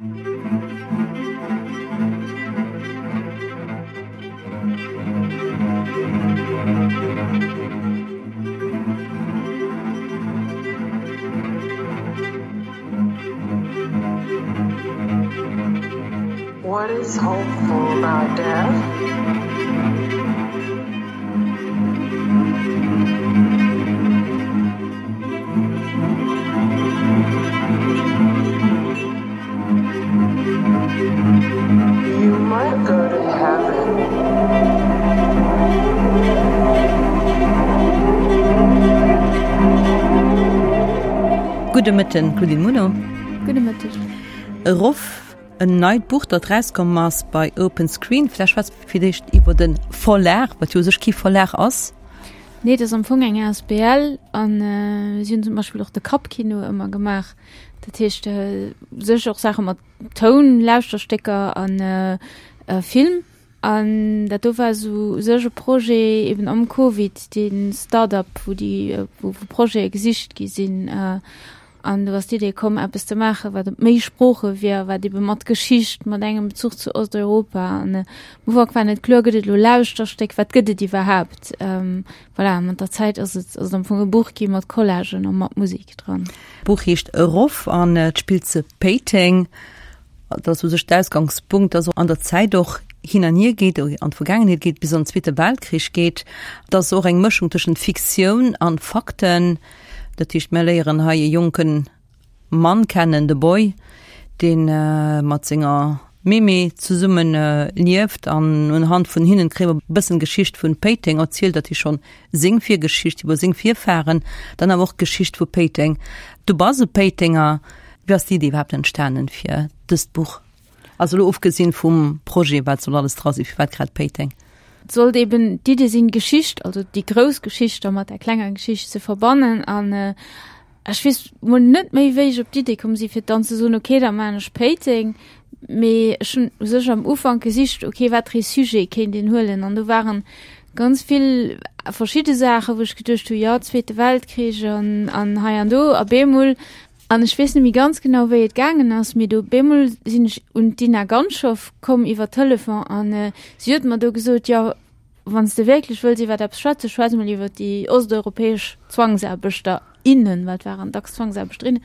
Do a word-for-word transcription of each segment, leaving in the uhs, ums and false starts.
What is hopeful about death? You might go to heaven. Gudde Mëtten, Claudine Muno. Gudde Mëtteg. Erof, en neit Buch, dat erauskomm ass bei Open Screen. Vläicht schwätze mer fir d'éischt iwwer de Verlag, wat jo u sech kee Verlag ass. Nee, dat ass am Fong eng asbl an si hunn zum Beispill och de Kappkino ëmmer gemaach. Dat heescht u sech och Saache mat Toun, Lauschterstécker an Film. An dat do war esou u sech e Projet eben am Covid, dee Start-up, wou déi, wou Projete gesicht gi sinn. An do ass d'Idee komm, eppes ze maachen, wat op méi Sprooche wier, wat ebe mat Geschicht, mat engem Bezuch zu Osteuropa. An am Ufank war net kloer, gëtt et elo Lauschterstéck, wat gëtt et iwwerhaapt? Voilà, mat der Zäit ass et, ass et am Fong e Buch gi mat Collagen a mat Musek dran. D'Buch heescht Erof an et spillt zu Péiteng. Dat ass u sech d'Ausgangspunkt, dass an der Zäit och hin an hier geet, an d'Vergaangenheet geet, bis an den Zweete Weltkrich geet. Et ass och eng Mëschung tëschent Fiktioun an Fakten. Dat heescht, mir léieren hei e jonke Mann kennen, de Boy, dee mat senger Mémé zesumme lieft an unhand vun hinnen kréie mer e bëssen d'Geschicht vun Péiteng erzielt, dat heescht schonn seng Virgeschicht iwwer seng Virfahren, dann awer och d'Geschicht vu Péiteng. Du bass e Péitenger. Wéi ass d'Iddi iwwerhaapt entstanen fir dëst Buch? Also elo ofgesinn vum Projet, wat soll alles dra sinn, firwat grad Péiteng? Et sollt eben d'Idee sinn, d'Geschicht, also déi grouss Geschicht da mat der klenger Geschicht ze verbannen. An ech weess mol net méi, wéi ech op d'Idee komm sinn, fir dann ze soen, okay, da maachen ech Péiteng. Mee ech hunn u sech am Ufank gesicht, okay, wat fir ee Sujet kéint een huelen. An do waren ganz vill verschidde Saachen, wou ech geduecht hu, jo, Zweete Weltkrich an, an hei an do. A bemol An ech weess net méi ganz genau, wéi et gaangen ass, mee do bemol sinn ech un d'Dina Ganschow komm iwwer Telefon an si huet mer do gesot, jo, wann s de wierklech wëlls iwwer eppes schwätzen, schwätz mol iwwer déi osteuropäesch Zwangsaarbechter, innen, well et waren dacks Zwangsaarbechterinnen,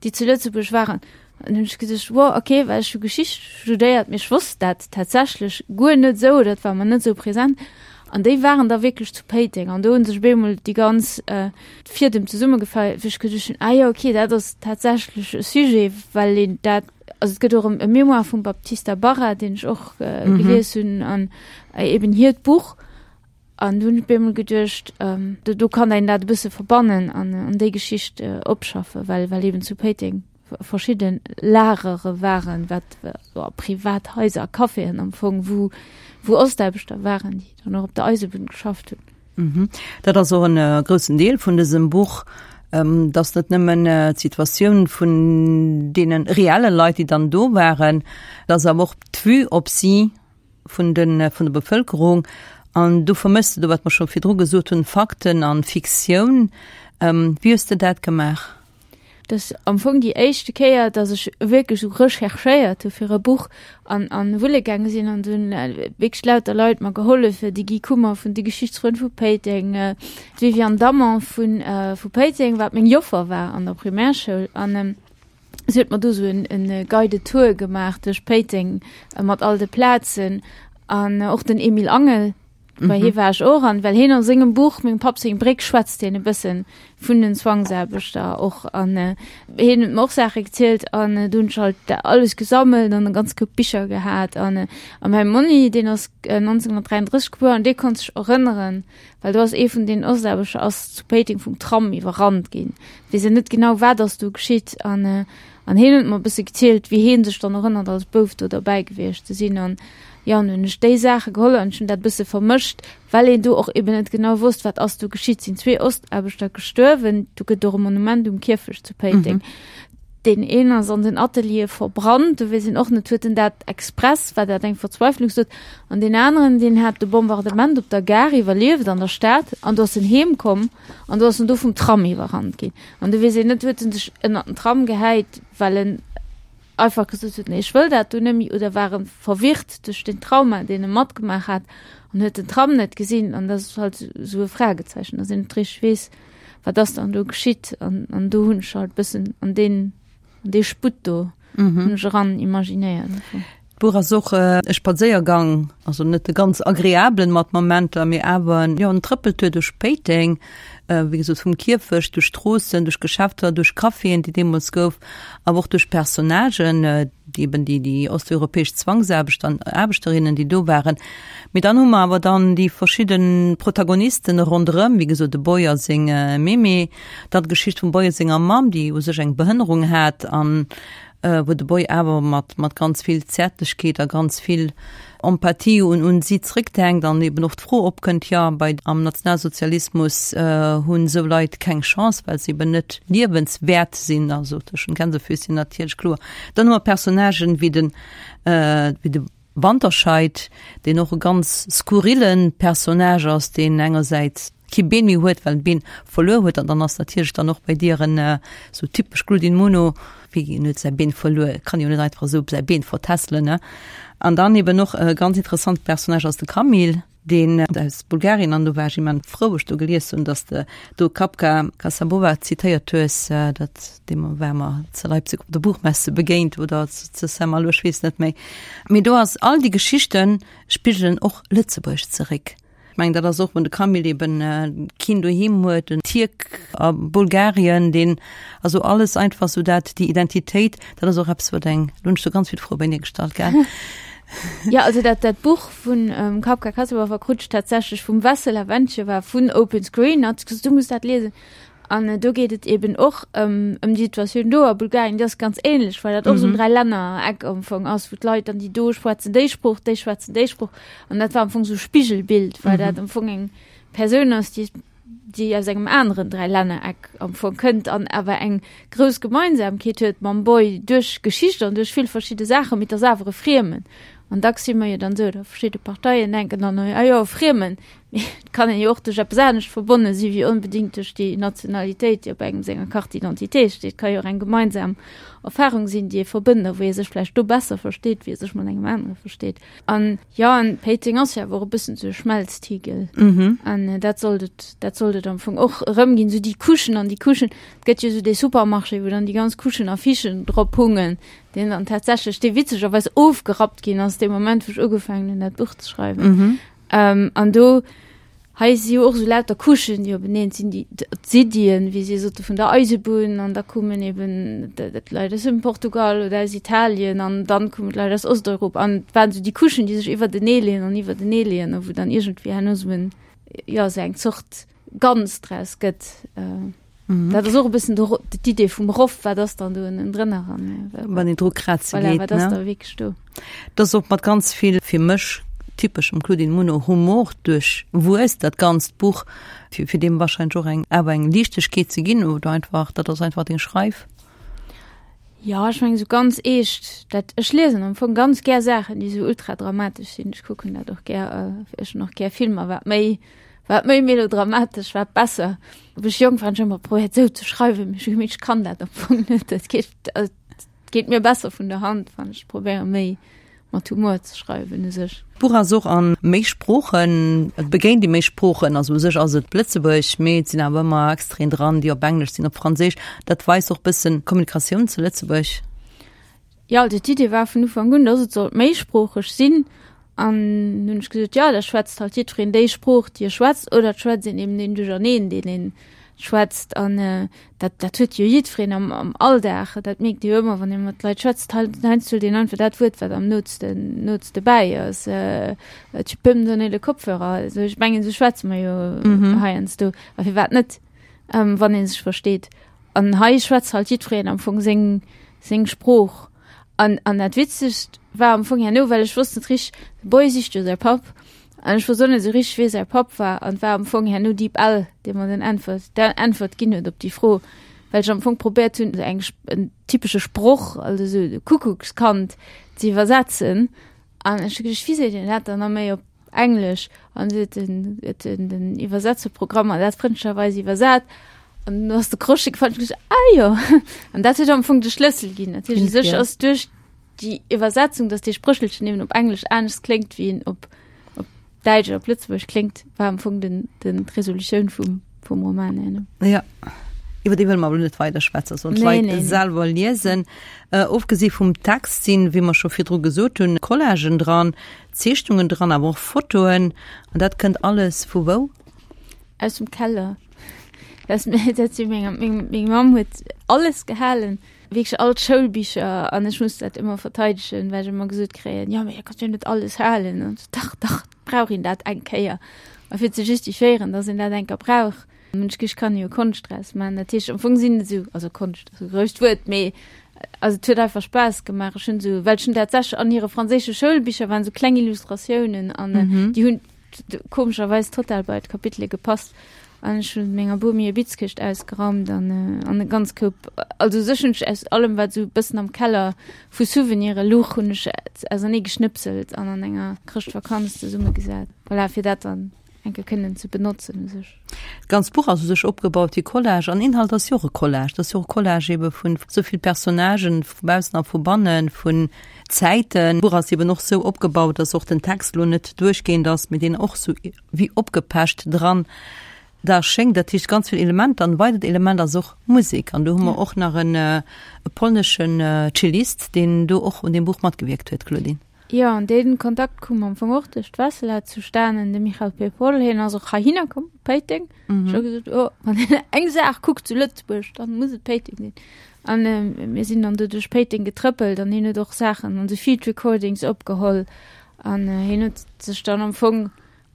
déi zu Lëtzebuerg waren. An hunn ech geduecht, wow, okay, well ech hu Geschicht studéiert, mee ech wosst dat tatsächlech guer net esou, dat war mer net esou present. An déi waren da wierklech zu Péiteng an do hunn sech op eemol déi ganz Fiedem zesummegefall, wou ech geduecht hunn, ah jo, okay, dat ass tatsächlech e Sujet, well een dat, also et gëtt och e Mémoire vum Baptista Barra, deen ech och gelies hunn an eben hiert Buch. An do hunn ech op eemol geduecht, do kann een dat e bësse verbannen an déi Geschicht opschaffen, well well eben zu Péiteng verschidde Lagere waren, wat privat Haiser a Caféen am Fong, wou wou Ostaarbechter waren, déi dann och op der Eisebunn geschafft hunn. Dat ass och en groussen Deel vun dësem Buch, dass net nëmmen d'Situatioun vun deene reelle Leit, déi dann do waren, dass awer och d'Vue op si vun de vun der Bevëlkerung. An do vermëss de do, wat mer scho virdru gesot hunn, Fakten an Fiktioun. Wéi hues de dat gemaach? Dat ass am Fong déi éischte Kéier, datt ech wierklech esou recherchéiert hu fir e Buch an an wulle gaange sinn an dunn wierklech lauter Leit mer gehollef, de Guy Kummer vun de Geschichtsfrënn vu Péiteng, d'Viviane Damon vu vu Péiteng, wat meng Joffer war an der Primärschoul an si huet mer do esou en en Guided Tour gemaach duerch Péiteng mat all de Plazen an och den Emile Angel, Bei hie war ech och an well hien a sengem Buch Mengem Papp seng Bréck schwätzt hien e bëssen vun den Zwangsaarbechter och an hien huet mer och Saache gezielt an do hunn ech halt alles gesammelt an e ganz Koup Bicher gehat an a mäi Monni deen ass nonzénhunnertdräianddrësseg gebuer an dee konnt sech erënneren, well do ass ee vun den Ostaarbechter ass zu Péiteng vum Tram iwwerrannt ginn, weess en net genau wat ass do geschitt an an hien huet mer e bësse gezielt wéi hien sech dann erënnert als Bouf do derbäi gewiescht ze sinn an Jo, an hunn ech déi Saache geholl an ech hunn dat e bësse vermëscht, well een do och eben net genau wosst, wat ass do geschitt. Sinn zwee Ostaarbechter gestuerwen, do gëtt och e Monument um Kierfecht zu Péiteng. Deen een ass an den Ateliere verbrannt, do weess een och net, huet en dat express, war dat eng Verzweiflungsdot? An deen aneren, deen hat de Bombardement op der Gare iwwerlieft an der Stad an do ass en heem komm an do ass en do vum Tram iwwerrannt ginn. An do weess een net, huet en sech ënnert den Tram gehäit, well en einfach gesot huet, nee, ech wëll dat do net méi, oder war e verwirrt duerch den Trauma, deen e matgemaach hat an huet den Tram net gesinn an dat ass halt esou e Fragezeichen, dass een net richteg weess, wat ass dann do geschitt an, an do hunn ech halt bëssen an deen, an dee Sputt do hunn ech eran imaginéiert. D'Buch ass och e Spadséiergang, also net e ganz agreablen mat Momenter, mee awer jo en Trëppeltour duerch Péiteng, wéi gesot vum Kierfecht, duerch Stroossen, duerch Geschäfter, duerch Caféen, déi deemools gouf, awer och duerch Personnagen, déi eben déi déi osteuropäesch Zwangsaarbechter an Aarbechterinnen, déi do waren. Mee dann hu mer awer dann déi verschidde Protagonisten ronderëm, wéi gesot de Boy a seng Mémé, dann d'Geschicht vum Boy a senger Mamm, déi u sech eng Behënnerung hat an wou de Boy awer mat mat ganz vill Zäertlechkeet a ganz vill Empathie un un si zréckdenkt an eben och d'Fro opkënnt, jo, bei am Nationalsozialismus hunn esou Leit keng Chance, well se eben net liewenswäert sinn, also tëschent Gänsefüßchen natierlech, kloer. Dann hu mer Personnagen wéi den wéi de Wanterscheid, deen och e ganz skurrille Personnage ass, deen engersäits kee Been méi huet, well en d'Been verluer huet, an dann ass natierlech dann och bei dir en esou typesch Claudine Muno, wéi en huet säi Been verluer, kann jo net einfach esou säi Been vertässelen, ne? An dann eben och e ganz interessante Personnage ass de Camille, deen aus Bulgarien, an do war ech immens frou, wou ech do gelies hunn, dass de do Kapka Kassabova zitéiert hues, dat deem war mer zu Leipzig op der Buchmesse begéint oder zu Saint-Malo, ech weess net méi. Mee do ass all déi Geschichte spigelen och Lëtzebuerg zeréck. Ech mengen, dat ass och, wann de Camille eben keen doheem huet, en Tierk a Bulgarien, deen, also alles einfach sou dat, déi Identitéit, dat ass och eppes, wat eng, lo hunn ech do ganz vill Froe bei dir gestallt, gell? Jo, also dat, dat Buch vun Kapka Kassabova krut ech tatsächlech vum Vessela Ventcheva vun Open Screen, hat gesot, du muss dat liesen. An do geet et eben och ëm ëm déi Situatioun do a Bulgarien, déi ass ganz ähnlech, well dat och esou en Dräilännereck am Fong ass, wou d'Leit dann, déi do schwätzen déi Sprooch, déi schwätzen déi Sprooch. An dat war am Fong esou e Spigelbild, well dat am Fong eng Persoun ass, déi déi aus engem aneren Dräilännereck am Fong kënnt an awer eng grouss Gemeinsamkeet huet mam Boy duerch Geschicht an duerch vill verschidde Saachen, mee et ass awer e Friemen. An dacks si mer jo dann esou, oder verschidde Parteien denken dann, ah jo, e Friemen, mee et kann een jo och duerch eppes anescht verbonne si wéi onbedéngt duerch déi Nationalitéit, déi op engem senger Carte d'identité steet. Et ka jo och eng gemeinsam Erfarung sinn, déi ee verbënnt a wou ee sech vläicht do besser versteet, wéi ee sech mat engem anere versteet. An jo, an Péiteng ass jo awer och e bëssen esou e Schmelztiegel. An dat sollt et, dat sollt et am Fong och erëmginn, esou déi Couchen an déi Couchen. Et gëtt jo esou dee Supermarché, wou dann déi ganz Couchen Affichen drop hungen, deen dann tatsächlech, dee witzegerweis ofgerappt ginn ass dee Moment, wou ech ugefaangen hunn, dat Buch ze schreiwen. Mhm. Ähm, an do, hei si jo och esou lauter Couchen, déi openeen sinn, déi d'Siddien, wéi si sote vun der Eisebunn, an da kommen eben d'Leit aus dem Portugal oder aus Italien an dann kommen d'Leit aus Osteuropa. An et waren esou déi Couchen, déi sech iwwertenee leeën an iwwertenee leeën a wou dann iergendwéi herno esou en, jo, esou eng Zort Ganz draus gëtt. Äh, mhm. Dat ass och e bëssen d'Idee vum Roff, wat ass dann do ënnen drënner an äh, wann een dru kraze voilà, geet. Wat ass da wierklech do? Dat ass och mat ganz vill fir mech typeschem Claudine Muno Humor duerchwuess, dat ganzt Buch, fir, fir deem wahrscheinlech och eng awer eng Liichtegkeet ze ginn oder einfach, dat ass einfach deng Schreif. Ja, ech meng sou ganz eescht, dat ech liesen am Fong ganz gär Saachen, déi sou ultra dramatesch sinn. Ech kucken dat och gär, äh, ech hunn och gär Filmer, wat méi wat méi melodramatesch, wat besser. Wou ech jonk war, hunn ech ëmmer probéiert sou ze schreiwen, mee ech hu gemierkt, ech kann dat am Fong net. Dat geet, also et geet mir besser vun der Hand, wann ech probéiere méi mat Humor ze schreiwen u sech. D'Buch ass och a méi Sproochen, et begéint ee méi Sproochen, also u sech ass et Lëtzebuergesch, mee et sinn awer ëmmer Extraiten dran, déi op Englesch sinn, op Franséisch. Dat weist och bëssen d'Kommunikatioun zu Lëtzebuerg. Jo, also d'Idee war vun Ufank un, dass et sollt méisproocheg sinn. An hunn ech gesot, jo, da schwätzt halt jiddwereen déi Sprooch, déi e schwätzt, oder et schwätzt een eben deen Duercherneen, deen een schwätzt. An dat, dat huet jo jiddwereen am, am Alldag. Dat mierkt ee jo ëmmer, wann ee mat Leit schwätzt. Heiansdo huet een einfach dat Wuert, wat am nootsten, nootste bäi ass. Tu peux me donner le Kopfhörer? Also ech mengen, esou schwätze mer jo heiansdo. A firwat net, wann ee sech versteet? An hei schwätzt halt jiddwereen am Fong seng, seng Sprooch. An, an dat Witzegst war am Fong herno, well ech wosst net richteg, de Boy sicht jo säi Papp, an ech wosst och net esou richteg, wie säi Papp war, an et war am Fong herno DeepL, dee mer den Äntwert, d'Äntwert ginn huet op déi Fro, well ech am Fong probéiert hunn, eng, en typesche Sproch, also esou de Kuckuckskand ze iwwersetzen, an ech hu geduecht, wéi seet een dat dann nach méi op Englesch? An du huet den, huet den, den Iwwersetzerprogramm mer dat frëndlecherweis iwwersat. An du ass de Crochet gefall, ech gesot, ah jo. An dat huet am Fong de Schlëssel ginn. Dat heescht, u sech ass duerch déi Iwwersetzung, dass dee Spréchelchen eben op Englesch anescht kléngt wéi en op, op Däitsch oder op Lëtzebuergesch kléngt, war am Fong den, den, d'Resolutioun vum, vum Roman herno. Ja. Iwwer déi wëlle mer awer net weider schwätzen, sollen d'Leit nee, nee, selwer liesen. Äh, ofgesi vum Text sinn, wéi mer scho virdru gesot hunn, Collagen dran, Zeechnungen dran, awer och Fotoen. An dat kënnt alles vu wou? Aus dem Keller. Dat, dat si meng, meng, meng Mamm huet alles gehalen, wierklech all d'Schoulbicher an ech muss dat ëmmer verteidegen, well ech ëmmer gesot kréien, jo, mee da kanns du jo net alles halen. An ech dach, dach, brauch een dat eng Kéier. A fir ze justifiéieren, dass een dat eng Kéier brauch, hunn ech gesot, ech kann jo Konscht draus maachen. Dat heescht, am Fong sinn et esou, also Konscht ass e grousst Wuert, mee also et huet einfach Spaass gemaach. Ech hunn esou, well ech hunn tatsächlech an hire franséische Schoulbicher waren esou kleng Illustratiounen an déi hunn komescherweis total bei d'Kapitele gepasst. An ech hunn menger Bomi hir Bitzkëscht ausgeraumt an an e ganz Koup, also u sech hunn ech aus allem, wat esou e bëssen am Keller vu Souvenire luch, hunn ech ausernee geschnëpselt an an enger Chrëschtvakanz zesummegesat. Voilà, fir dat dann eng Kéier kënnen ze benotzen u sech. D'ganzt Buch ass u sech opgebaut wéi Collage an Inhalt ass jo och e Collage. Dat ass jo och e Collage ebe vun esou vill Personnagen, vu baussen a vu bannen, vun Zäiten. D'Buch ass eben och sou opgebaut, dass och den Text elo net duerchgehend ass, mee deen och sou wéi opgepecht dran da schéngt. Dat heescht ganz vill Elementer. An e weidert Element ass och Musek. An do hu mer och nach en e polneschen Cellist, deen do och un deem Buch matgewierkt huet, Claudine. Jo, an dee Kontakt koum am Fong och duerch d'Wessela zustanen. De Michal Pepol, hien ass och heihinner komm, op Péiteng. Ech hu gesot, oh, wann een eng Saach kuckt zu Lëtzebuerg, dann muss et Péiteng sinn. An mir sinn dann do duerch Péiteng getrëppelt an hien huet och Saachen, also Field Recordings opgeholl. An hien huet sech dann am Fong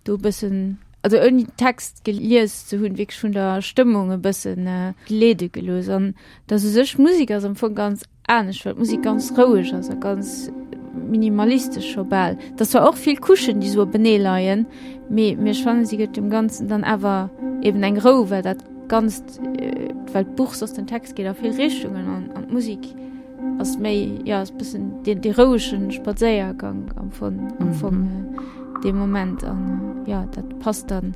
do e bëssen, also ouni Text gelies ze hunn, wierklech vun der Stëmmung e bëssen leede gelooss. An dass u sech d'Musek ass am Fong ganz anescht, well d'Musek ganz roueg ass a ganz minimalistesch scho bal. Et ass zwar och vill Couchen, déi esou openee leien, mee mee ech fannen, si gëtt dem Ganzen dann awer eben eng Rou, well dat Ganzt, well d'Buch soss den Text geet a vill Richtungen an an d'Musek ass méi, jo, ass bëssen dee dee rouege Spadséiergank am Fong, am Fong dee Moment an jo, dat passt dann.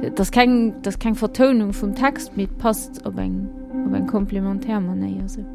Et ass keng, et ass keng Vertounung vum Text, mee et passt op eng op eng komplementär Manéier esou.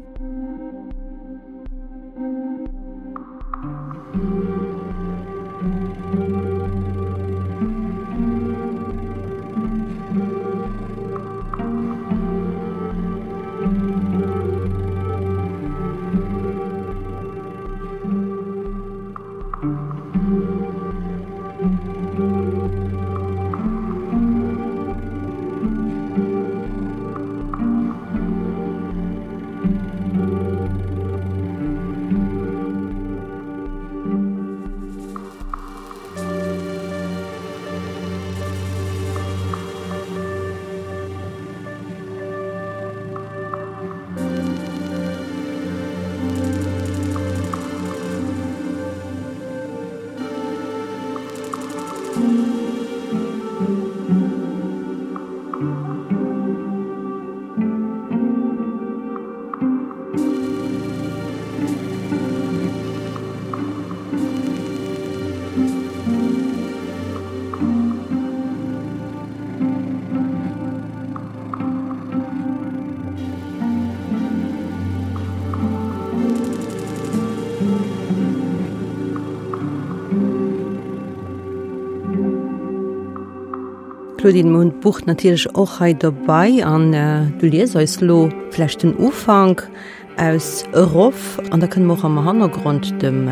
Claudine, mir hunn d'Buch natierlech och hei dobei an du lies eis lo vläicht den Ufank aus erof an da kënne mer och am Hannergrond dem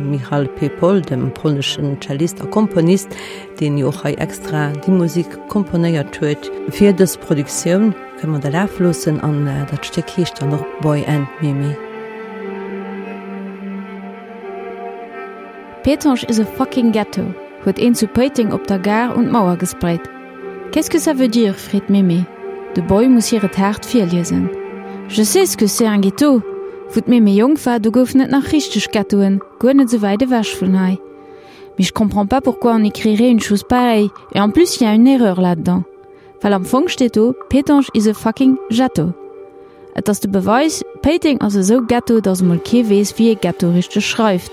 Michal Pepol, dem polneschen Cellist a Komponist, deen jo och hei extra déi Musik komponéiert huet fir dës Produktioun, kënne mer da lafe loossen an dat Stéck heescht dann och Boy and Mimi. Pétange is a fucking ghetto, huet een zu Péiteng op der Gare un d'Mauer gesprayt. Qu'est-ce que ça veut dire? freet d'Mémé. De Boy muss hir et haart virliesen. Je sais ce que c'est un ghetto! Wou d'Mémé jonk war, do goufen et nach richteg Ghettoen, guer net sou wäit ewech vun hei. Mais je comprends pas pourquoi on écrirait une chose pareille, et en plus il y a une erreur là-dedans. Well am Fong steet do, Pétange is a fucking ghetto. Et ass de Beweis, Péiteng ass esou Ghetto, datt emol kee weess, wéi ee Ghetto richteg schreift.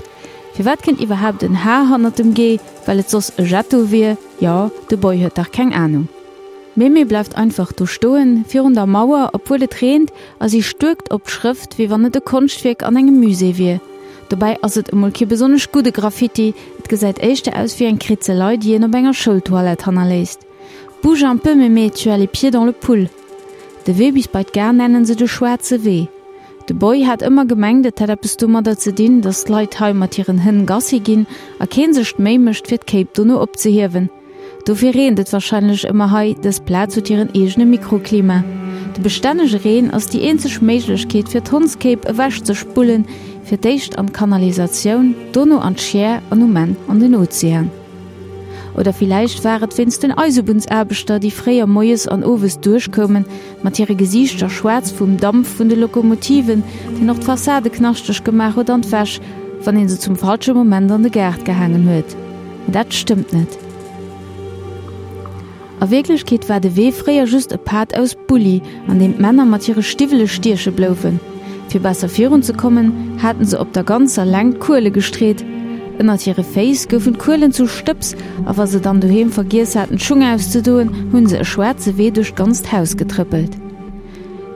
Firwat kënnt iwwerhaapt en H hannert dem G? Well et soss e Jetto wier? Jo, de Boy huet dach keng Anung. D'Mémé bleift einfach do stoen, virun der Mauer, obwuel et reent, a si stuerkt op d'Schrëft, wéi wann et e Konschtwierk an engem Musée wier. Dobäi ass et emol kee besonnesch gudde Graffiti, et gesäit éischter aus wéi eng Kritzelei, déi een op enger Schoultoilette hannerléisst. Bouge un peu, Mémé, tu as les pieds dans le pull. De Wee bis bei d'Gare nennen se de schwaarze Wee. De Boy hat ëmmer gemengt, et hätt eppes domadder ze dinn, datt d'Leit hei mat hiren Hënn Gassi ginn a keen sech d'Méi mécht, fir d'Kéip dono opzehiewen. Dofir reent et warscheinlech ëmmer hei, dës Plaz huet hiren eegene Mikroklima. De bestännege Reen ass déi eenzeg Méiglechkeet fir d'Hondskéip ewech ze spullen, fir d'éischt an d'Kanalisatioun, dono an d'Schier an um Enn an den Ozean. Oder villäicht war et wéinst den Eisebunnsaarbechter, déi fréier moies an owes duerchkoumen, mat hire Gesiichter schwaarz vum Damp vun de Lokomotiven, deen och d'Fassade knaschteg gemaach huet an d'Wäsch, wann ee se zum falsche Moment an de Gaart gehaangen huet. Mee dat stëmmt net. A Wierklechkeet war de Wee fréier just e Pad aus Bulli, an deem d'Männer mat hire Stiwwele stieche bloufen. Fir besser virun ze kommen, haten se op der ganzer Längt Kuele gestreet. Ënnert hire Féiss goufen d'Kuelen zu Stëbs, a wa se dann doheem vergiess haten d'Schung auszedoen, hunn se e schwaarze Wee duerch d'ganzt Haus getrëppelt.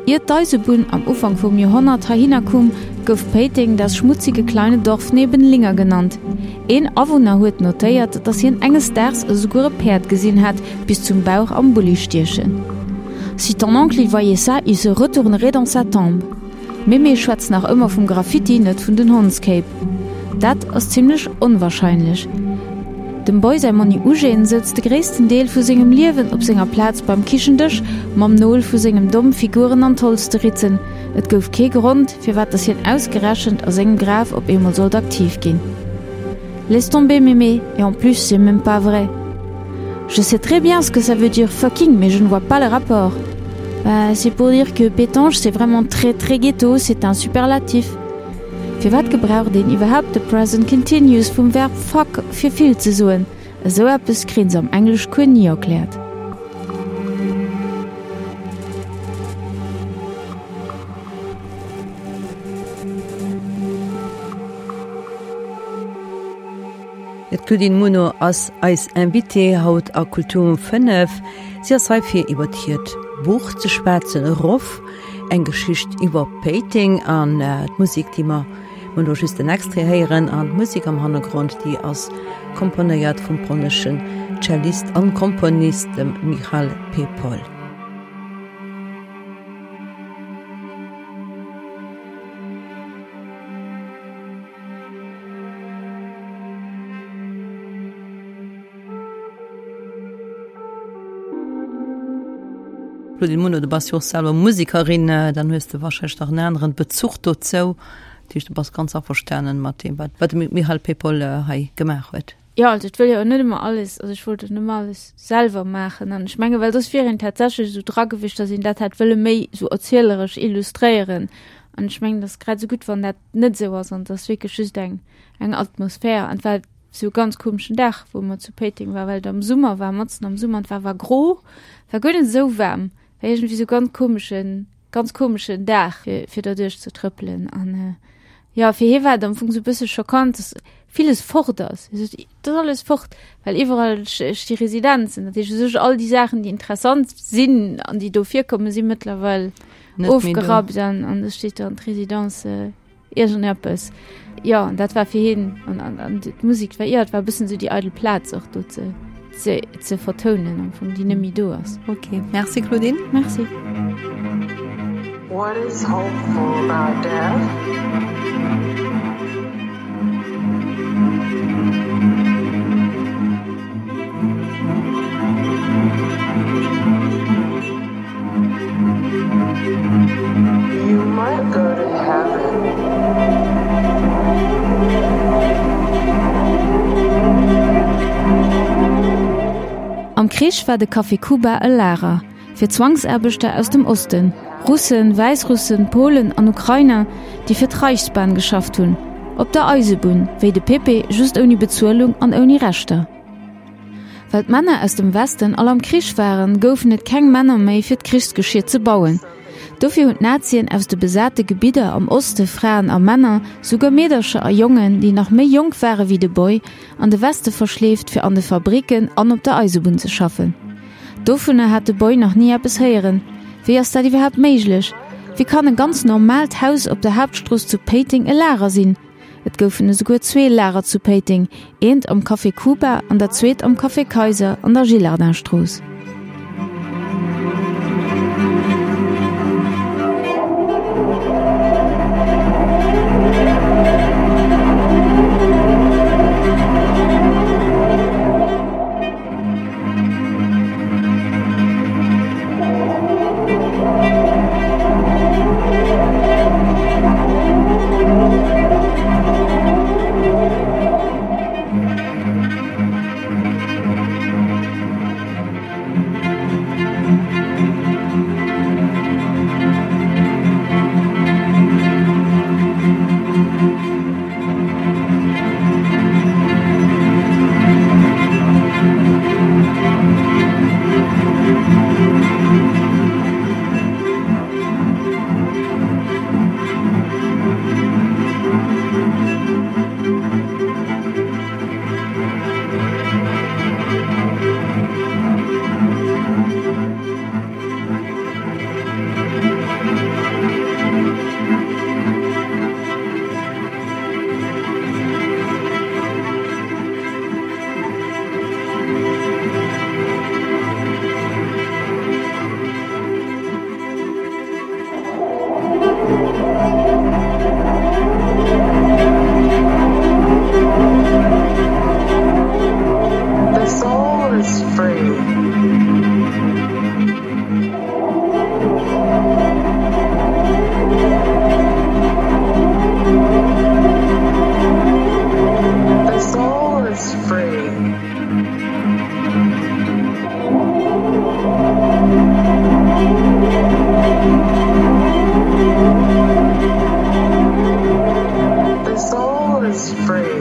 Ier d'Eisebunn am Ufank vum Joerhonnert heihinner koum, gouf Péiteng das schmutzige kleine Dorf neben Linger genannt. Een Awunner huet notéiert, dass hien enges Daags esouguer e Päerd gesinn hätt bis zum Bauch am Bulli stiechen. Si ton oncle il voyait ça, il se retournerait dans sa tombe. D'Mémé schwätzt nach ëmmer vum Graffiti, net vun den Hondskéip. Dat ass zimlech onwahrscheinlech. Dem Boy säi Monni Eugène souz de gréissten Deel vu sengem Liewen op senger Plaz beim Kichendësch, mam Nol vu sengem Domm Figuren an d'Holz ze ritzen. Et gouf kee Grond, firwat dass hien ausgerechent a sengem Graf op eemol sollt aktiv ginn. Laisse tomber mémé, et en plus c'est même pas vrai. Je sais très bien ce que ça veut dire fucking, mais je ne vois pas le rapport. Bah, c'est pour dire que Pétange c'est vraiment très très ghetto, c'est un superlatif. Firwat gebraucht een iwwerhaapt de Present Continuous vum Verb fuck fir vill ze soen? Esou eppes kréien se am Engleschcours ni erkläert. D'Claudine Muno ass eis Invitée haut a Kultur um fënnef. Si ass hei fir iwwert hiert Buch ze schwätzen, Roff, eng Geschicht iwwer Péiteng an d'Musek, déi mer elo just en Extrait héieren an d'Musek am Hannergrond, déi ass komponéiert vum polneschen Cellist an Komponist, dem Michal Pepol. Claudine Muno, du bass jo och selwer Musekerin, dann hues de warscheinlech nach en aneren Bezuch dozou. Dat heescht, du bass ganz averstanen mat deem, wat wat de Michal Pepol hei gemaach huet. Jo, also et wëll jo och net ëmmer alles, also ech wollt och net ëmmer alles selwer maachen an ech menge well soss wier een tatsächlech esou dra gewiescht, datt een dat hätt wëlle méi esou erzieleresch illustréieren an ech mengen, et ass grad esou gutt, wann dat net esou ass an et ass wierklech just eng eng Atmosphär an et war esou e ganz komeschen Dag, wou mer zu Péiteng war, well et am Summer war, matzen am Summer an et war war gro, war guer net esou waarm, war iergendwéi esou ganz komeschen ganz komeschen Dag fir fir derduerch ze trëppelen an jo fir hie war et am Fong esou e bësse schockant, dass villes fort ass. Hie sot, et ass alles fort, well iwwerall sti Residenzen, dat heescht u sech all déi Saachen, déi interessant sinn an déi do virkommen, si mëttlerweil ofgerappt an an et steet dann d'Residence iergendeppes. Jo, an dat war fir hien an an an d'Musek war jo, et war e bëssen esou déi eidel Plaz och do ze ze ze vertounen am Fong, déi net méi do ass. Ok, merci Claudine. Merci. What is hopeful about death? You might go to heaven. Am Krich war de Café Cuba e Lager fir Zwangsaarbechter aus dem Osten, Russen, Wäissrussen, Polen an Ukrainer, déi fir d'Reichsbahn geschafft hunn, op der Eisebunn, wéi de Pepe, just ouni Bezuelung an ouni Rechter. Well d'Männer aus dem Westen all am Krich waren, goufen et keng Männer méi fir d'Krichsgeschier ze bauen. Dofir hunn d'Nazien aus de besate Gebidder am Oste Fraen a Männer, souguer Meedercher a Jongen, déi nach méi jonk ware wéi de Boy, an de Weste verschleeft fir an de Fabricken an op der Eisebunn ze schaffen. Dovunner hat de Boy nach ni eppes héieren. Wéi ass dat iwwerhaapt méiglech? Wéi kann e ganz normaalt Haus op der Haaptstrooss zu Péiteng e Lager sinn? Et goufen esouguer zwee Lager zu Péiteng, eent am Café Cuba an dat zweet am Café Kayser an der Gillardinstrooss. The soul is free. The soul is free. The soul is free.